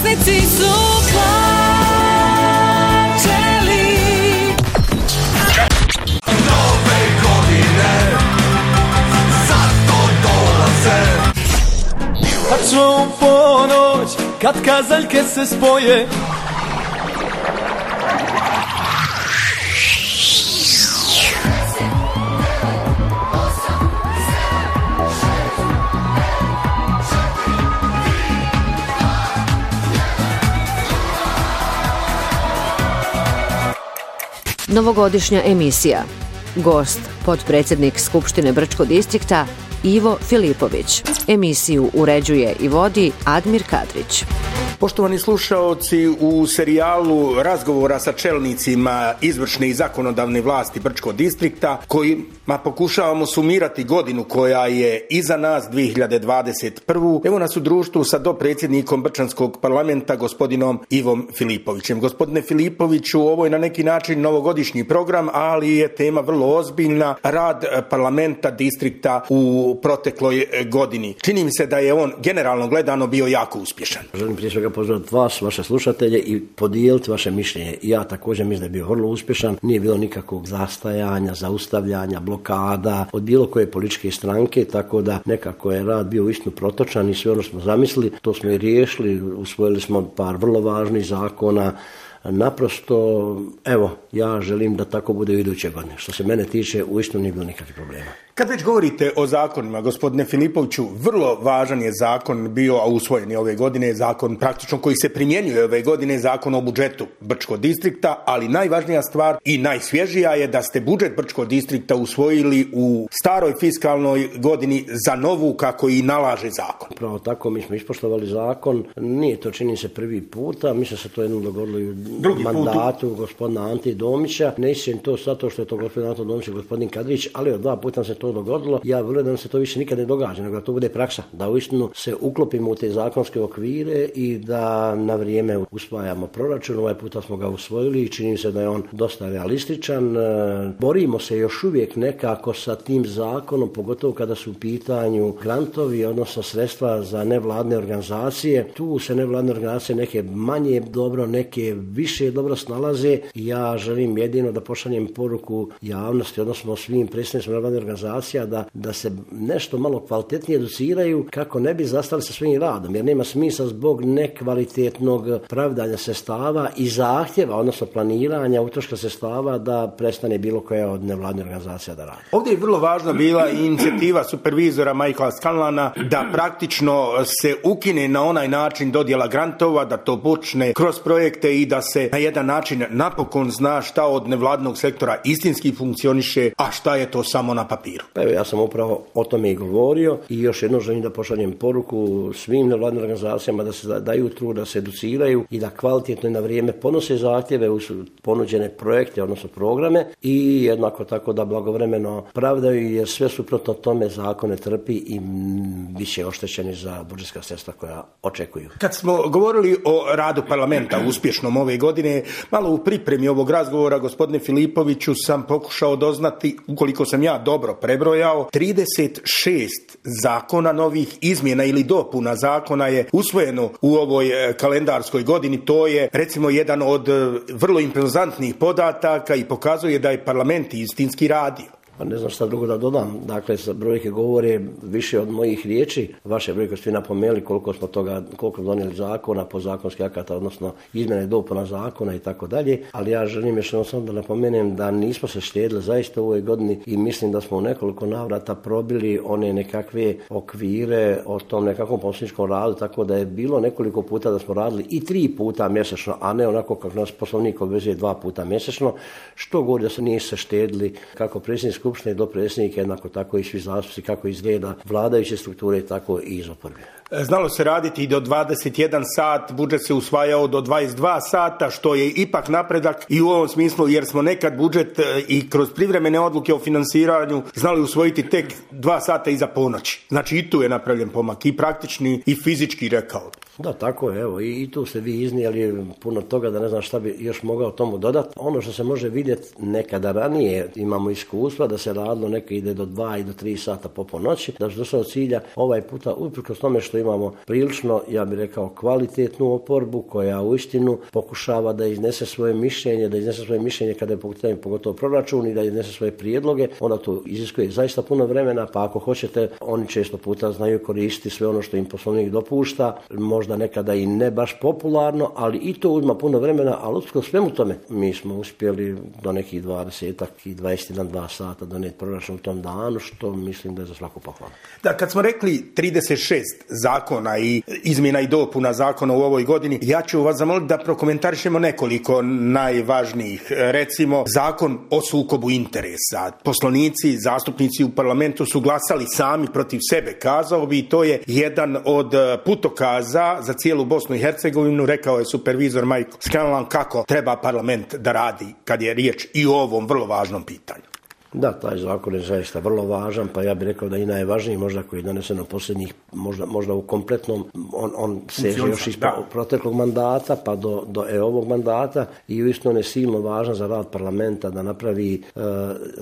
putnici su plaćeli. Nove godine zato dolaze. Tačno u ponoć, kad kazaljke se spoje, Novogodišnja emisija. Gost, potpredsjednik Skupštine Brčkog distrikta Ivo Filipović. Emisiju uređuje i vodi Admir Kadrić. Poštovani slušaoci, u serijalu razgovora sa čelnicima izvršne i zakonodavne vlasti Brčkog distrikta, kojima pokušavamo sumirati godinu koja je iza nas, 2021. Evo nas u društvu sa dopredsjednikom Brčanskog parlamenta, gospodinom Ivom Filipovićem. Gospodine Filipoviću, ovo je na neki način novogodišnji program, ali je tema vrlo ozbiljna, rad parlamenta distrikta u protekloj godini. Čini mi se da je on generalno gledano bio jako uspješan. Želim prije svega pozdraviti vas, vaše slušatelje i podijeliti vaše mišljenje. Ja također mislim da je bio vrlo uspješan, nije bilo nikakvog zastajanja, zaustavljanja, blokada od bilo koje političke stranke, tako da nekako je rad bio uistinu protočan i sve ono smo zamislili, to smo i riješili, usvojili smo par vrlo važnih zakona. Naprosto, evo, ja želim da tako bude u iduće godine. Što se mene tiče, uistinu nije bilo nikakvih problema. Kad već govorite o zakonima, gospodine Filipoviću, vrlo važan je zakon bio, a usvojen je ove godine, zakon praktično koji se primjenjuje ove godine, zakon o budžetu Brčkog distrikta, ali najvažnija stvar i najsvježija je da ste budžet Brčkog distrikta usvojili u staroj fiskalnoj godini za novu, kako i nalaže zakon. Pravo tako, mi smo ispoštovali zakon, nije to čini se prvi puta, mislim se to jednom dogodilo i u mandatu gospodina Ante Domića. Ne istim to zato što je to gospodin Ante Domić i gospodin Kadrić, ali od 2 puta se to dogodilo. Ja vjerujem da nam se to više nikad ne događa, nego da to bude praksa, da uistinu se uklopimo u te zakonske okvire i da na vrijeme usvajamo proračun. Ovaj puta smo ga usvojili i čini se da je on dosta realističan. Borimo se još uvijek nekako sa tim zakonom, pogotovo kada su u pitanju grantovi, odnosno sredstva za nevladne organizacije. Tu se nevladne organizacije neke manje dobro, neke više dobro snalaze. Ja želim jedino da pošaljem poruku javnosti, odnosno svim predstavnicima nevladne organizacije, da se nešto malo kvalitetnije educiraju kako ne bi zastali sa svojim radom, jer nema smisla zbog nekvalitetnog pravdanja sredstava i zahtjeva, odnosno planiranja utroška sredstava, da prestane bilo koja od nevladnih organizacija da radi. Ovdje je vrlo važna bila inicijativa supervizora Michaela Scanlana da praktično se ukine na onaj način dodjela grantova, da to počne kroz projekte i da se na jedan način napokon zna šta od nevladnog sektora istinski funkcioniše, a šta je to samo na papiru. Evo, ja sam upravo o tome i govorio i još jednom želim da pošaljem poruku svim nevladnim organizacijama da se daju trud, da se educiraju i da kvalitetno i na vrijeme podnose zahtjeve u ponuđene projekte, odnosno programe, i jednako tako da blagovremeno pravdaju, jer sve suprotno tome zakone trpi i bit će oštećeni za budžetska sredstva koja očekuju. Kad smo govorili o radu parlamenta uspješnom ove godine, malo u pripremi ovog razgovora, gospodine Filipoviću, sam pokušao doznati, ukoliko sam ja dobro prebrojao, 36 zakona novih izmjena ili dopuna zakona je usvojeno u ovoj kalendarskoj godini. To je recimo jedan od vrlo impozantnih podataka i pokazuje da je parlament istinski radio. Pa ne znam šta drugo da dodam. Dakle, brojke govore više od mojih riječi. Vaše brojke ste napomenuli koliko donijeli zakona, podzakonskih akata, odnosno izmjena i dopuna zakona i tako dalje. Ali ja želim još samo da napomenem da nismo se štedili zaista u ovoj godini i mislim da smo u nekoliko navrata probili one nekakve okvire o tom nekakvom poslovničkom radu, tako da je bilo nekoliko puta da smo radili i 3 puta mjesečno, a ne onako kako nas poslovnik obvezuje 2 puta mjesečno, što govori da se nije se štedili kako predsjednik Skupštine do predsjednika, jednako tako i svi zastupnici, kako izgleda vladajuće strukture, tako i iz oporbe. Znalo se raditi i do 21 sat, budžet se usvajao do 22 sata, što je ipak napredak i u ovom smislu, jer smo nekad budžet i kroz privremene odluke o finansiranju znali usvojiti tek 2 sata iza ponoći. Znači i tu je napravljen pomak, i praktični i fizički, rekao. Da, tako je, evo, i tu ste vi iznijeli puno toga da ne znam šta bi još mogao tomu dodati. Ono što se može vidjeti nekada ranije, imamo iskustva da se radilo, neka ide do 2 i do 3 sata po noći, da se došlo do cilja. Ovaj puta, uprkos tome što što imamo prilično, ja bih rekao, kvalitetnu oporbu koja uistinu pokušava da iznese svoje mišljenje kada je pogotovo proračun i da iznese svoje prijedloge, onda to iziskuje zaista puno vremena, pa ako hoćete, oni često puta znaju koristiti sve ono što im Poslovnik dopušta, možda nekada i ne baš popularno, ali i to uzma puno vremena, ali uprkos svemu tome mi smo uspjeli do nekih 22 sata donijeti proračun u tom danu, što mislim da je za svaku pohvalu. Da, kad smo rekli 36 zakona i izmjena i dopuna zakona u ovoj godini, ja ću vas zamoliti da prokomentarišemo nekoliko najvažnijih. Recimo, zakon o sukobu interesa. Poslanici, zastupnici u parlamentu su glasali sami protiv sebe, kazao bi, i to je jedan od putokaza za cijelu Bosnu i Hercegovinu. Rekao je supervizor Michael Scanlon kako treba parlament da radi kad je riječ i o ovom vrlo važnom pitanju. Da, taj zakon je zaista vrlo važan, pa ja bih rekao da i najvažniji možda koji je donesen u posljednjih, možda u kompletnom, on seže još iz proteklog mandata pa do ovog mandata i uistinu je silno važan za rad parlamenta da napravi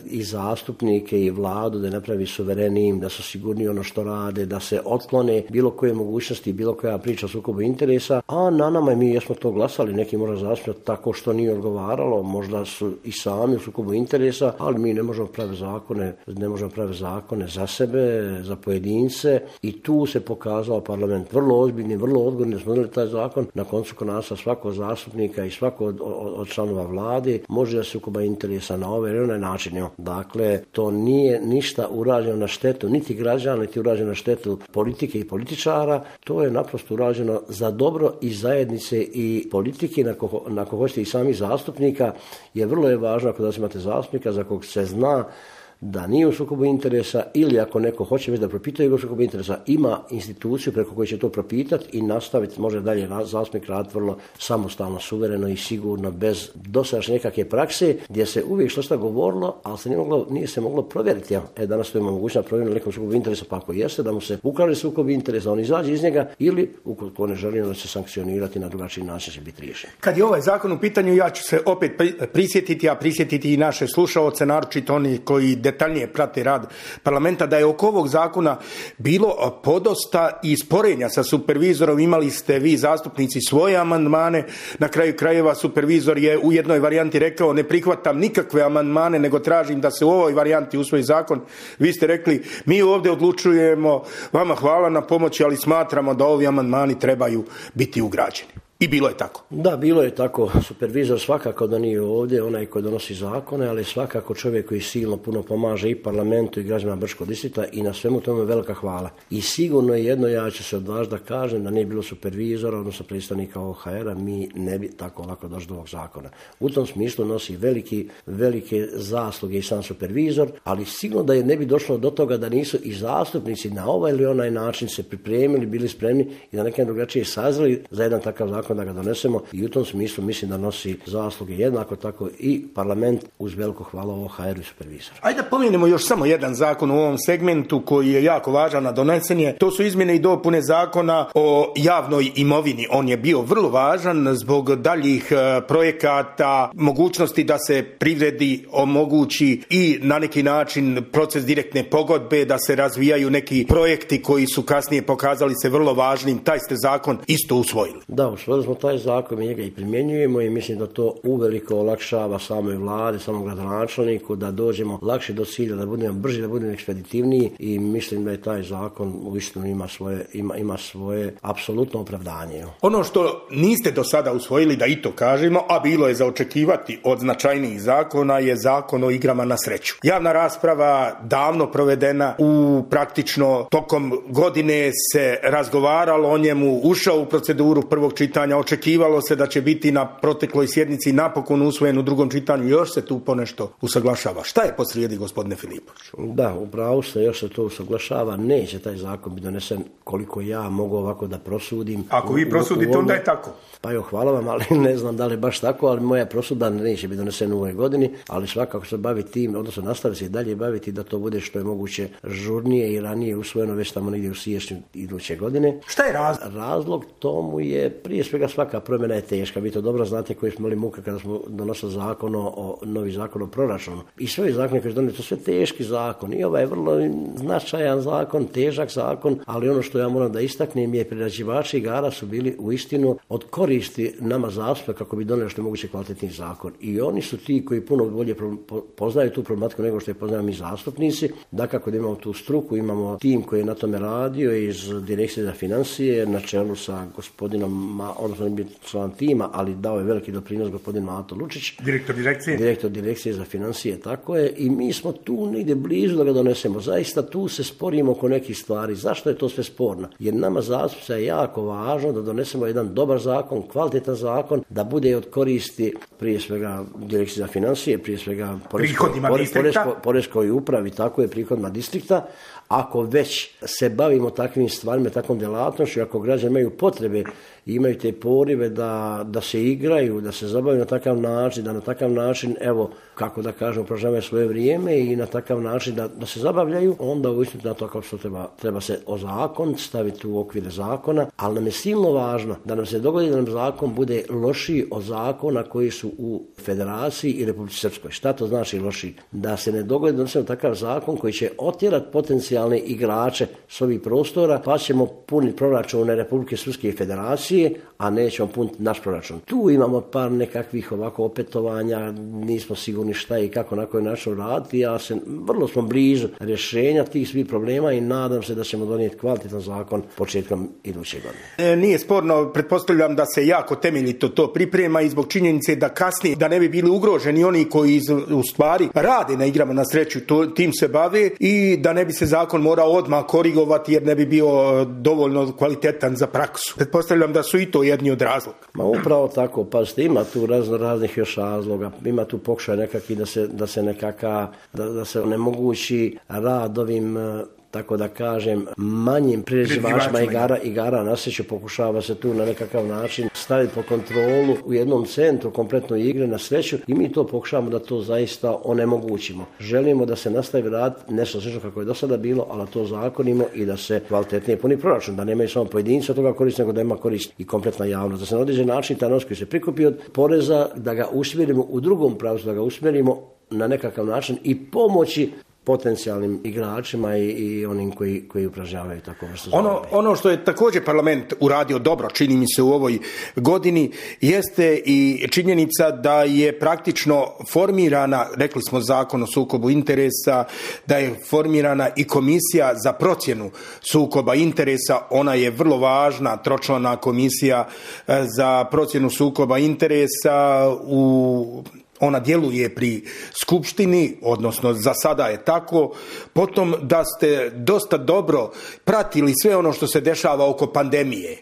i zastupnike i vladu, da napravi suverenijim, da su sigurni ono što rade, da se otklone bilo koje mogućnosti, bilo koja priča o sukobu interesa, a na nama mi jesmo to glasali, neki možda zastupiti tako što nije odgovaralo, možda su i sami u sukobu interesa, ali mi ne možemo praviti zakone za sebe, za pojedince i tu se pokazao parlament vrlo ozbiljni, vrlo odgovorni, smo donijeli taj zakon. Na koncu konaca svakog zastupnika i svakog od članova vlade može da se sukoba interesa na ovaj ili onaj način. Dakle, to nije ništa urađeno na štetu niti građana, niti urađeno na štetu politike i političara, to je naprosto urađeno za dobro i zajednice i politike, na ko hoćete i samih zastupnika, jer vrlo je važno ako da imate zastupnika za kog se zna da nije u sukobu interesa ili ako neko hoće već da propituje u sukobu interesa, ima instituciju preko koje će to propitati i nastaviti, može dalje zastupnik raditi vrlo samostalno, suvereno i sigurno, bez dosadašnje nekakve prakse, gdje se uvijek što sta govorilo, ali se nije se moglo provjeriti. Danas to ima mogućnost provjeriti nekom sukobu interesa, pa ako jeste da mu se ukaže sukob interesa, on izađe iz njega ili ukoliko ne želi da se sankcionirati na drugačiji način će biti riješen. Kad je ovaj zakon u pitanju, ja ću se opet prisjetiti i naše slušaoce, naročito oni koji detaljnije prate rad parlamenta, da je oko ovog zakona bilo podosta i sporenja sa supervizorom. Imali ste vi zastupnici svoje amandmane, na kraju krajeva supervizor je u jednoj varijanti rekao ne prihvatam nikakve amandmane, nego tražim da se u ovoj varijanti usvoji zakon. Vi ste rekli mi ovdje odlučujemo, vama hvala na pomoći, ali smatramo da ovi amandmani trebaju biti ugrađeni. I bilo je tako. Da, bilo je tako. Supervizor svakako da nije ovdje, onaj koji donosi zakone, ali svakako čovjek koji silno puno pomaže i parlamentu i građanima Brčkog distrikta i na svemu tome velika hvala. I sigurno je jedno, ja ću se odvažiti da kažem da nije bilo supervizora, odnosno predstavnika OHR-a, mi ne bi tako lako došli do ovog zakona. U tom smislu nosi velike zasluge i sam supervizor, ali sigurno da je ne bi došlo do toga da nisu i zastupnici na ovaj ili onaj način se pripremili, bili spremni i da neke drugačije sazreli za jedan takav zakon da ga donesemo i u tom smislu mislim da nosi zasluge jednako tako i parlament uz veliko hvala OHR-u i supervizoru. Ajde da pomenemo još samo jedan zakon u ovom segmentu koji je jako važan, a donesen je. To su izmjene i dopune zakona o javnoj imovini. On je bio vrlo važan zbog daljih projekata, mogućnosti da se privredi omogući i na neki način proces direktne pogodbe, da se razvijaju neki projekti koji su kasnije pokazali se vrlo važnim. Taj ste zakon isto usvojili. Da, usvojili smo taj zakon, mi njega i primjenjujemo i mislim da to uveliko olakšava samoj vladi, samom gradonačelniku, da dođemo lakše do cilja, da budemo brži, da budemo ekspeditivniji i mislim da je taj zakon uistinu ima svoje apsolutno opravdanje. Ono što niste do sada usvojili, da i to kažemo, a bilo je za očekivati od značajnijih zakona, je zakon o igrama na sreću. Javna rasprava davno provedena, u praktično tokom godine se razgovaralo o njemu, ušao u proceduru prvog čitanja, očekivalo se da će biti na protekloj sjednici napokon usvojen u drugom čitanju, još se tu ponešto usaglašava. Šta je posrijedi, gospodine Filipoviću? Da, upravo ste, još se to usaglašava, neće taj zakon biti donesen koliko ja mogu ovako da prosudim. Ako vi prosudite, onda je tako. Pa jo, hvala vam, ali ne znam da li je baš tako, ali moja prosuda neće biti donesen u ovoj godini, ali svakako se bavi tim, odnosno nastavi se i dalje baviti da to bude što je moguće žurnije i ranije usvojeno već tamo negdje u siječnju iduće godine. Šta je razlog? Razlog tomu je prije svega svega svaka promjena je teška. Vi to dobro znate koji smo imali muke kada smo donosili novi zakon o proračunu. I sve zakone koji su donijeli, to sve teški zakon. I ovaj je vrlo značajan zakon, težak zakon, ali ono što ja moram da istaknem je priređivači igara su bili uistinu od koristi nama zastupnika kako bi donijeli što je moguće kvalitetni zakon. I oni su ti koji puno bolje poznaju tu problematiku nego što je poznaju mi zastupnici. Dakako da imamo tu struku, imamo tim koji je na tome radio iz Direkcije za financije na čelu sa gospodinom, odnosno ne član tima, ali dao je veliki doprinos gospodin Mato Lučić. Direktor Direkcije za financije, tako je. I mi smo tu negdje blizu da ga donesemo. Zaista tu se sporimo oko nekih stvari. Zašto je to sve sporno? Jer nama zastupnica je jako važno da donesemo jedan dobar zakon, kvalitetan zakon, da bude od koristi prije svega Direkcije za financije, prije svega poreskoj upravi, tako je, prihodima distrikta. Ako već se bavimo takvim stvarima, takvom djelatnošću, ako građani imaju potrebe i imaju te porive da se igraju, da se zabavaju na takav način, da na takav način, evo, kako da kažem, upražavaju svoje vrijeme i na takav način da se zabavljaju, onda uistinu na to kao što treba se o zakon staviti u okvire zakona, ali nam je silno važno da nam se dogodi da nam zakon bude lošiji od zakona koji su u Federaciji i Republici Srpskoj. Šta to znači lošiji? Da se ne dogodi da donesemo takav zakon koji će otjerati potencijalne igrače s ovih prostora, pa ćemo puniti proračune Republike Srpske i Federacije, a nećemo puniti naš proračun. Tu imamo par nekakvih ovako opetovanja, nismo sigurni šta i kako na koji način raditi. Vrlo smo blizu rješenja tih svih problema i nadam se da ćemo donijeti kvalitetan zakon početkom iduće godine. Nije sporno, pretpostavljam da se jako temeljito to priprema i zbog činjenice da kasnije, da ne bi bili ugroženi oni koji u stvari rade na igrama na sreću, tim se bave i da ne bi se zakon morao odmah korigovati jer ne bi bio dovoljno kvalitetan za praksu. Pretpostavljam da su i to jedni od razloga. Ma upravo tako, pazite, ima tu raznih još razloga, ima tu pokušaj nekakvi da se onemogući rad ovim, tako da kažem, manjim priređivačima igara na sreću. Pokušava se tu na nekakav način staviti pod kontrolu u jednom centru kompletno igre na sreću i mi to pokušavamo da to zaista onemogućimo. Želimo da se nastavi rad nešto slično kako je do sada bilo, ali to zakonimo i da se kvalitetnije puni proračun, da nemaju samo pojedinci od toga korist, nego da ima korist i kompletna javnost. Da se na određen način taj novac koji se prikupi od poreza, da ga usmjerimo u drugom pravcu, da ga usmjerimo na nekakav način i pomoći potencijalnim igračima i onim koji upražnjavaju tako vrstu zabave. Ono što je također parlament uradio dobro, čini mi se u ovoj godini, jeste i činjenica da je praktično formirana, rekli smo Zakon o sukobu interesa, da je formirana i komisija za procjenu sukoba interesa. Ona je vrlo važna, tročlana komisija za procjenu sukoba interesa ona djeluje pri skupštini, odnosno za sada je tako. Potom da ste dosta dobro pratili sve ono što se dešava oko pandemije.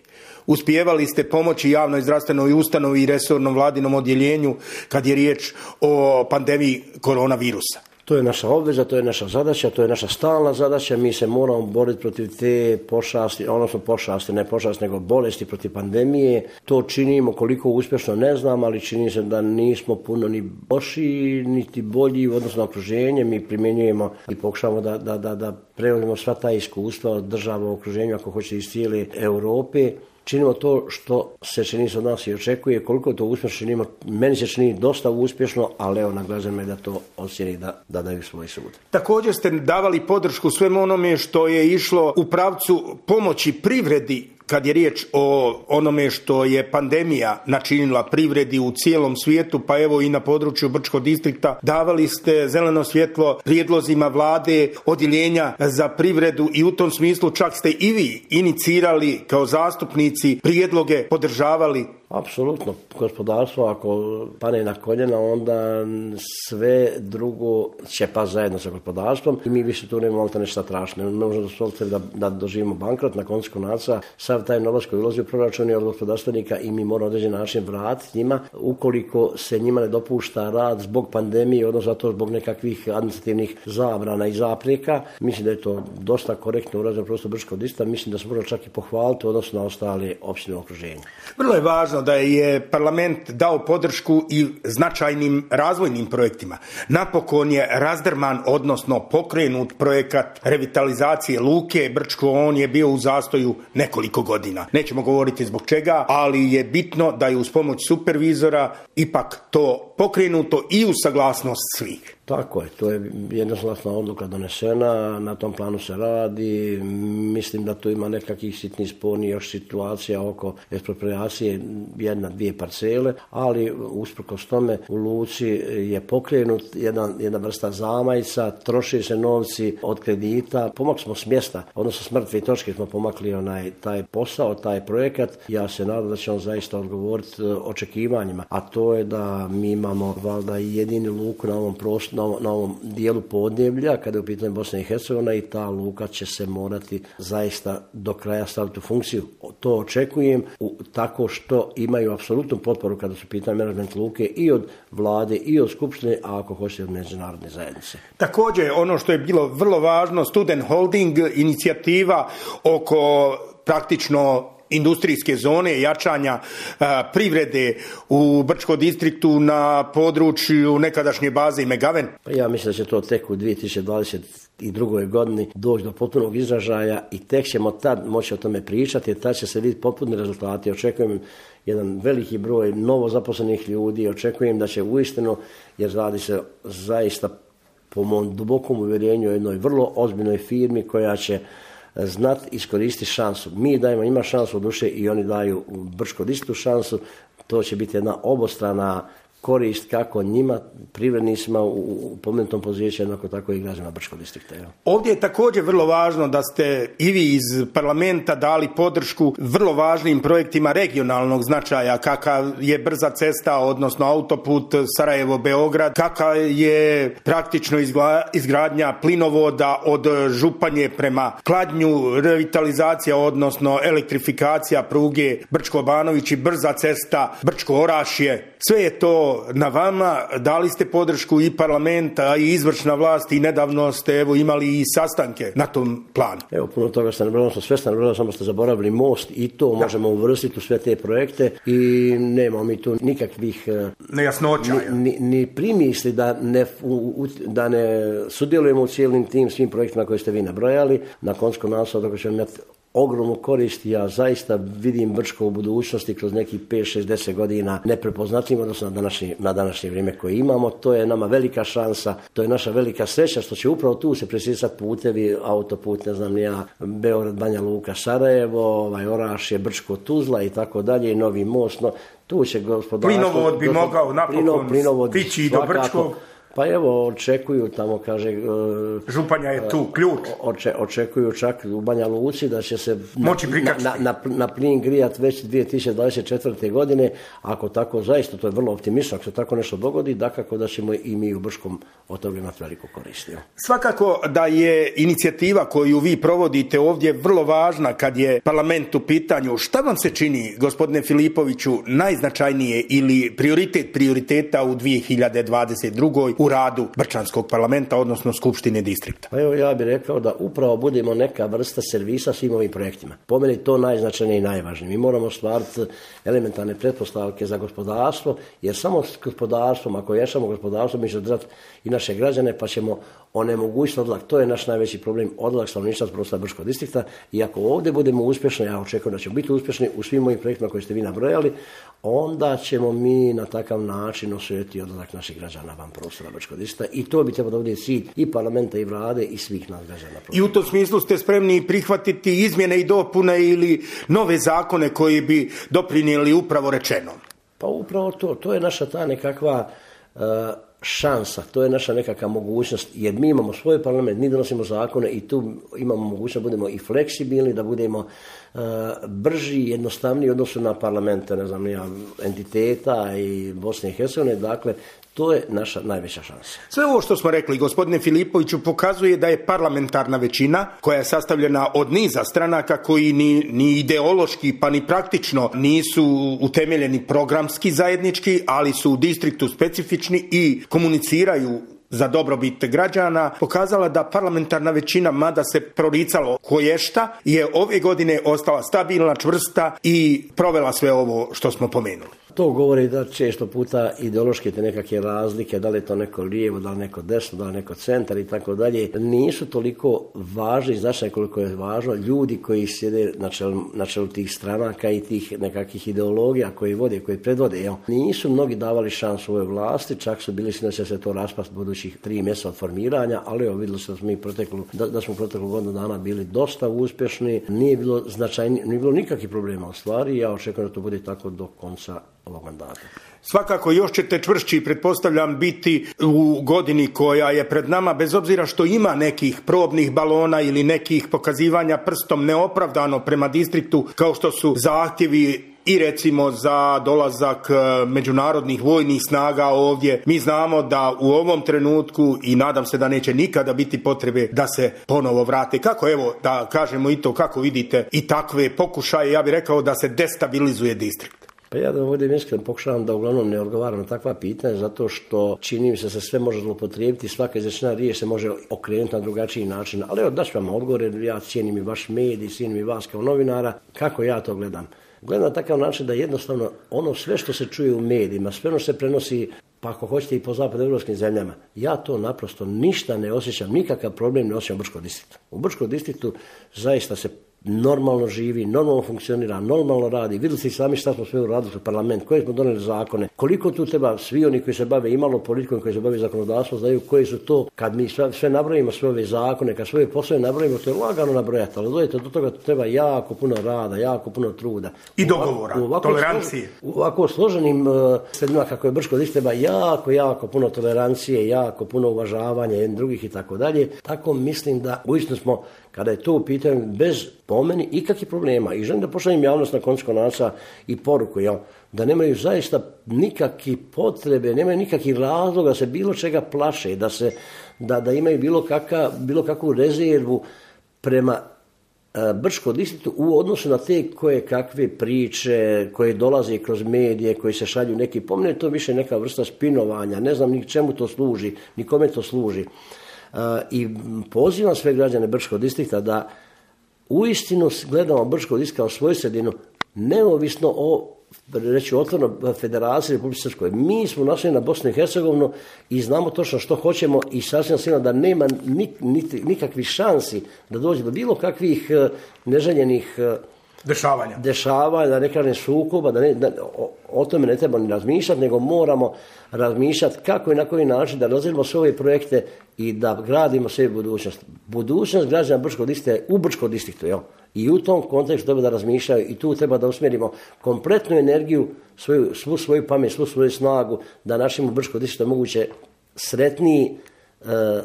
Uspijevali ste pomoći javnoj zdravstvenoj ustanovi i resornom vladinom odjeljenju kad je riječ o pandemiji koronavirusa. To je naša obveza, to je naša zadaća, to je naša stalna zadaća. Mi se moramo boriti protiv te pošasti, odnosno ne pošasti, nego bolesti, protiv pandemije. To činimo koliko uspješno ne znam, ali čini se da nismo puno ni lošiji, niti bolji u odnosu na okruženje. Mi primjenjujemo i pokušavamo da preuzmemo sva ta iskustva od država u okruženju, ako hoće iz cijele Europe. Činimo to što se čini se od nas i očekuje, koliko to uspješno činimo. Meni se čini dosta uspješno, ali evo, na građanima je da to osjeti da daju svoj sud. Također ste davali podršku svemu onome što je išlo u pravcu pomoći privredi kad je riječ o onome što je pandemija načinila privredi u cijelom svijetu, pa evo i na području Brčkog distrikta. Davali ste zeleno svjetlo prijedlozima vlade, odjeljenja za privredu i u tom smislu čak ste i vi inicirali kao zastupnici prijedloge, podržavali. Apsolutno. Gospodarstvo ako pane na koljena, onda sve drugo će pa zajedno sa gospodarstvom i mi više tu nemamo nešto tražiti. Ne možemo dozvoliti da doživimo bankrot na koncu konaca. Sav taj novac koji ulazi u proračun je od gospodarstvenika i mi moramo na određen način vratiti njima. Ukoliko se njima ne dopušta rad zbog pandemije, odnosno zato zbog nekakvih administrativnih zabrana i zapreka, mislim da je to dosta korektno urađeno prosto Brčkog distrikta. Mislim da se možemo čak i pohvaliti odnosno na ostale opštine u okruženju. Vrlo je važno da je parlament dao podršku i značajnim razvojnim projektima. Napokon je razdrman, odnosno pokrenut projekat revitalizacije luke Brčko, on je bio u zastoju nekoliko godina. Nećemo govoriti zbog čega, ali je bitno da je uz pomoć supervizora ipak to pokrenuto i uz saglasnost svih. Tako je, to je jednoglasna odluka donesena, na tom planu se radi, mislim da tu ima nekakvih sitnih spornih još situacija oko eksproprijacije 1-2 parcele, ali usprkos tome u luci je pokrenut jedna vrsta zamajca, troši se novci od kredita, pomakli smo s mjesta, odnosno s mrtve točke smo pomakli taj posao, taj projekat. Ja se nadam da će on zaista odgovoriti očekivanjima, a to je da mi imamo valjda jedini luku na ovom prostoru, na ovom dijelu podneblja, kada je u pitanju Bosna i Hercegovina, i ta luka će se morati zaista do kraja staviti u funkciju. To očekujem tako što imaju apsolutnu potporu kada su pitanje menadžment luke i od vlade i od skupštine, a ako hoćete od međunarodne zajednice. Također, ono što je bilo vrlo važno, Student Holding, inicijativa oko praktično industrijske zone, jačanja privrede u Brčkom distriktu na području nekadašnje baze Megaven. Ja mislim da će to tek u 2022. godini doći do potpunog izražaja i tek ćemo tad moći o tome pričati, jer tad će se vidjeti potpuni rezultati. Očekujem jedan veliki broj novo zaposlenih ljudi, očekujem da će uistinu, jer radi se zaista po mom dubokom uvjerenju o jednoj vrlo ozbiljnoj firmi koja će znati iskoristiti šansu. Mi dajemo ima šansu u duše i oni daju u Brčkom distriktu šansu. To će biti jedna obostrana korist kako njima, privrednicima u pomenutom području, jednako tako i građanima Brčkog distrikta. Ovdje je također vrlo važno da ste i vi iz parlamenta dali podršku vrlo važnim projektima regionalnog značaja, kakav je brza cesta, odnosno autoput Sarajevo-Beograd, kakav je praktično izgradnja plinovoda od Županje prema Kladnju, revitalizacija, odnosno elektrifikacija pruge Brčko-Banović i brza cesta Brčko-Orašje. Sve je to na vama, dali ste podršku i parlamenta i izvršna vlast i nedavno ste imali i sastanke na tom planu. Puno toga ste nabrali, sve ste nabrali, samo ste zaboravili most i to možemo uvrstiti u sve te projekte i nemamo mi tu nikakvih nejasnoća. Ni primisli da ne sudjelujemo u cijelim tim svim projektima koje ste vi nabrojali. Na koncu naslova dok ćemo imati ogromnu korist, ja zaista vidim Brčko u budućnosti kroz nekih 5-6-10 godina neprepoznatljivim odnosno na današnje vrijeme koje imamo. To je nama velika šansa, to je naša velika sreća što će upravo tu se presisati putevi, autoput, ne znam ja, Beograd, Banja Luka, Sarajevo, Orašje, Brčko, Tuzla i tako dalje, i novi most. No, tu će gospodarstvo... Plinovod bi mogao napokon stići do Brčkog. Pa evo, očekuju tamo, kaže... Županja je tu ključ. Očekuju čak u Banja Luci da će se na plin grijat već 2024. godine. Ako tako, zaista, to je vrlo optimistično, ako se tako nešto dogodi, dakako da ćemo i mi u Brčkom od toga imati veliku korist. Svakako da je inicijativa koju vi provodite ovdje vrlo važna kad je parlament u pitanju. Šta vam se čini, gospodine Filipoviću, najznačajnije ili prioriteta u 2022. u radu Brčanskog parlamenta, odnosno Skupštine distrikta? Pa evo, ja bih rekao da upravo budemo neka vrsta servisa svim ovim projektima. Po meni to najznačajnije i najvažnije. Mi moramo stvariti elementarne pretpostavke za gospodarstvo, jer samo s gospodarstvom, ako jačamo gospodarstvo, mi ćemo držati i naše građane, pa ćemo onemogućiti odlak. To je naš najveći problem, odlak stanovništva s prostora Brčkog distrikta. I ako ovdje budemo uspješni, ja očekujem da ćemo biti uspješni u svim ovim projektima koje ste vi nabrojali, onda ćemo mi na takav način osvojiti odlazak naših građana van prostora Brčkog distrikta, i to bi trebalo da bude cilj i parlamenta i vlade i svih nas građana. I u tom smislu ste spremni prihvatiti izmjene i dopune ili nove zakone koji bi doprinijeli upravo rečeno? Pa upravo to je naša ta nekakva šansa, to je naša nekakva mogućnost, jer mi imamo svoj parlament, mi donosimo zakone i tu imamo mogućnost da budemo i fleksibilni, da budemo brži i jednostavniji u odnosu na parlamente, ne znam, entiteta i Bosne i Hercegovine. Dakle, to je naša najveća šansa. Sve ovo što smo rekli, gospodine Filipoviću, pokazuje da je parlamentarna većina koja je sastavljena od niza stranaka koji ni ideološki pa ni praktično nisu utemeljeni programski zajednički, ali su u distriktu specifični i komuniciraju za dobrobit građana pokazala da parlamentarna većina, mada se proricalo koješta, je ove godine ostala stabilna, čvrsta i provela sve ovo što smo pomenuli. To govori da često puta ideološke te nekakve razlike, da li je to neko lijevo, da li neko desno, da li neko centar i tako dalje, nisu toliko važni, značajni koliko je važno ljudi koji sjede na čelu tih stranaka i tih nekakvih ideologija koji vode, koji predvode. Nisu mnogi davali šansu ovoj vlasti, čak su bili da će se to raspast budućih 3 mjeseca od formiranja, ali vidjeli se da smo proteklu godinu dana bili dosta uspješni, nije bilo značajnije, nije bilo nikakvih problema u stvari, ja očekujem da to bude tako do konca ovog mandata. Svakako još ćete čvršći, pretpostavljam, biti u godini koja je pred nama, bez obzira što ima nekih probnih balona ili nekih pokazivanja prstom neopravdano prema distriktu, kao što su zahtjevi i recimo za dolazak međunarodnih vojnih snaga ovdje. Mi znamo da u ovom trenutku, i nadam se da neće nikada biti potrebe da se ponovo vrate. Kako, evo, da kažemo i to, kako vidite i takve pokušaje, ja bih rekao da se destabilizuje distrikt. Pa ja da ovdje iskreno pokušavam da uglavnom ne odgovaram na takva pitanja, zato što čini mi se da se sve može zloupotrijebiti, svaka izrečena riječ se može okrenuti na drugačiji način. Ali evo, daću vam odgovor, jer ja cijenim i vaš medij, cijenim i vas kao novinara. Kako ja to gledam? Gledam na takav način da jednostavno ono sve što se čuje u medijima, sve ono se prenosi, pa ako hoćete i po zapadnoevropskim zemljama, ja to naprosto ništa ne osjećam, nikakav problem ne osjećam u Brčkom distriktu. U Brčkom distriktu zaista se normalno živi, normalno funkcionira, normalno radi. Vidjeli ste i sami šta smo sve uradili u parlament, koje smo donijeli zakone, koliko tu treba, svi oni koji se bave imalo politikom, koji se bave zakonodavstvom, znaju koji su to, kad mi sve nabrojimo, sve ove zakone, kad sve poslove nabrojimo, to je lagano nabrojati, ali dojete do toga treba jako puno rada, jako puno truda. I dogovora, tolerancije. U ovako složenim sredinama kako je Brčko distrikt treba jako puno tolerancije, jako puno uvažavanja jednih drugih i tako dalje. Tako mislim da uistinu smo, kada je to u pitanju, bez po meni ikakvih problema. I želim da pošaljem javnost na koncu konaca i poruku, da nemaju zaista nikakve potrebe, nemaju nikakvih razloga da se bilo čega plaše, da imaju bilo kakvu rezervu prema Brčkom distriktu u odnosu na te koje kakve priče koje dolaze kroz medije, koji se šalju neki, po meni je to više neka vrsta spinovanja, ne znam ni čemu to služi, ni kome to služi. I pozivam sve građane Brčkog distrikta da uistinu gledamo Brčkog distrikta kao svoju sredinu, neovisno o, reći otvoreno, Federaciji Republike Srpskoj. Mi smo našli na Bosnu i Hercegovinu i znamo točno što hoćemo i sasvim sigurno da nema nikakvih šansi da dođe do bilo kakvih neželjenih dešavanja, da ne kažem sukoba, o tome ne treba ni razmišljati, nego moramo razmišljati kako i na koji način da razvijemo sve ove projekte i da gradimo sve budućnost. Budućnost građana Brčkog distrikta je u Brčkom distriktu, i u tom kontekstu treba da razmišljaju i tu treba da usmjerimo kompletnu energiju, svu svoju pamet, svu svoju snagu, da našim Brčkog distrikta moguće sretniji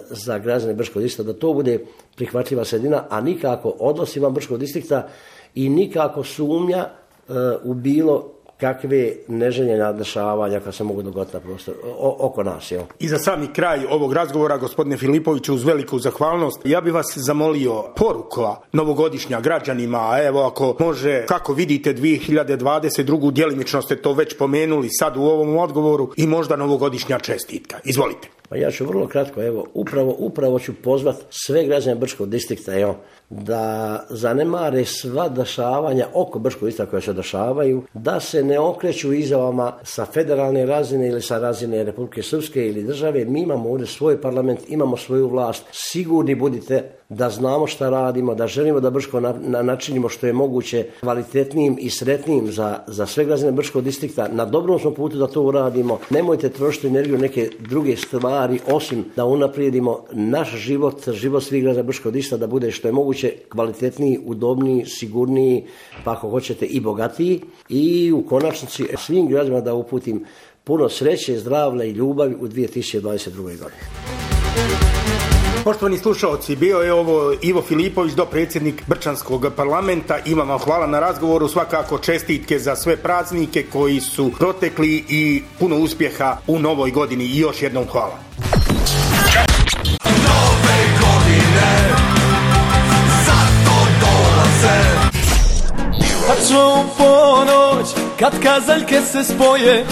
za građane Brčkog distrikta, da to bude prihvatljiva sredina, a nikako odnos van Brčkog distrikta i nikako sumnja u bilo kakve neželjene dešavanja kad se mogu dogoditi na prostoru oko nas. I za sami kraj ovog razgovora, gospodine Filipoviću, uz veliku zahvalnost, ja bih vas zamolio poruka novogodišnja građanima, a evo ako može, kako vidite 2022. djelimično ste to već pomenuli sad u ovom odgovoru, i možda novogodišnja čestitka. Izvolite. Pa ja ću vrlo kratko, upravo ću pozvati sve građane Brčkog distrikta, da zanemare sva dešavanja oko Brčkog distrikta koja se dešavaju, da se ne okreću izjavama sa federalne razine ili sa razine Republike Srpske ili države. Mi imamo ovdje svoj parlament, imamo svoju vlast, sigurni budite da znamo šta radimo, da želimo da Brčko načinimo što je moguće kvalitetnijim i sretnijim za sve građane Brčkog distrikta. Na dobrom smo putu da to uradimo. Nemojte trošiti energiju neke druge stvari, osim da unaprijedimo naš život svih građana Brčkog distrikta, da bude što je moguće kvalitetniji, udobniji, sigurniji, pa ako hoćete i bogatiji. I u konačnici svim građanima da uputim puno sreće, zdravlja i ljubavi u 2022. godini. Poštovani slušalci, bio je ovo Ivo Filipović, dopredsjednik Brčanskog parlamenta. Imam vam hvala na razgovoru, svakako čestitke za sve praznike koji su protekli i puno uspjeha u novoj godini i još jednom hvala. Nove godine zato dolaze. Tačno u ponoć kad kazaljke se spoje,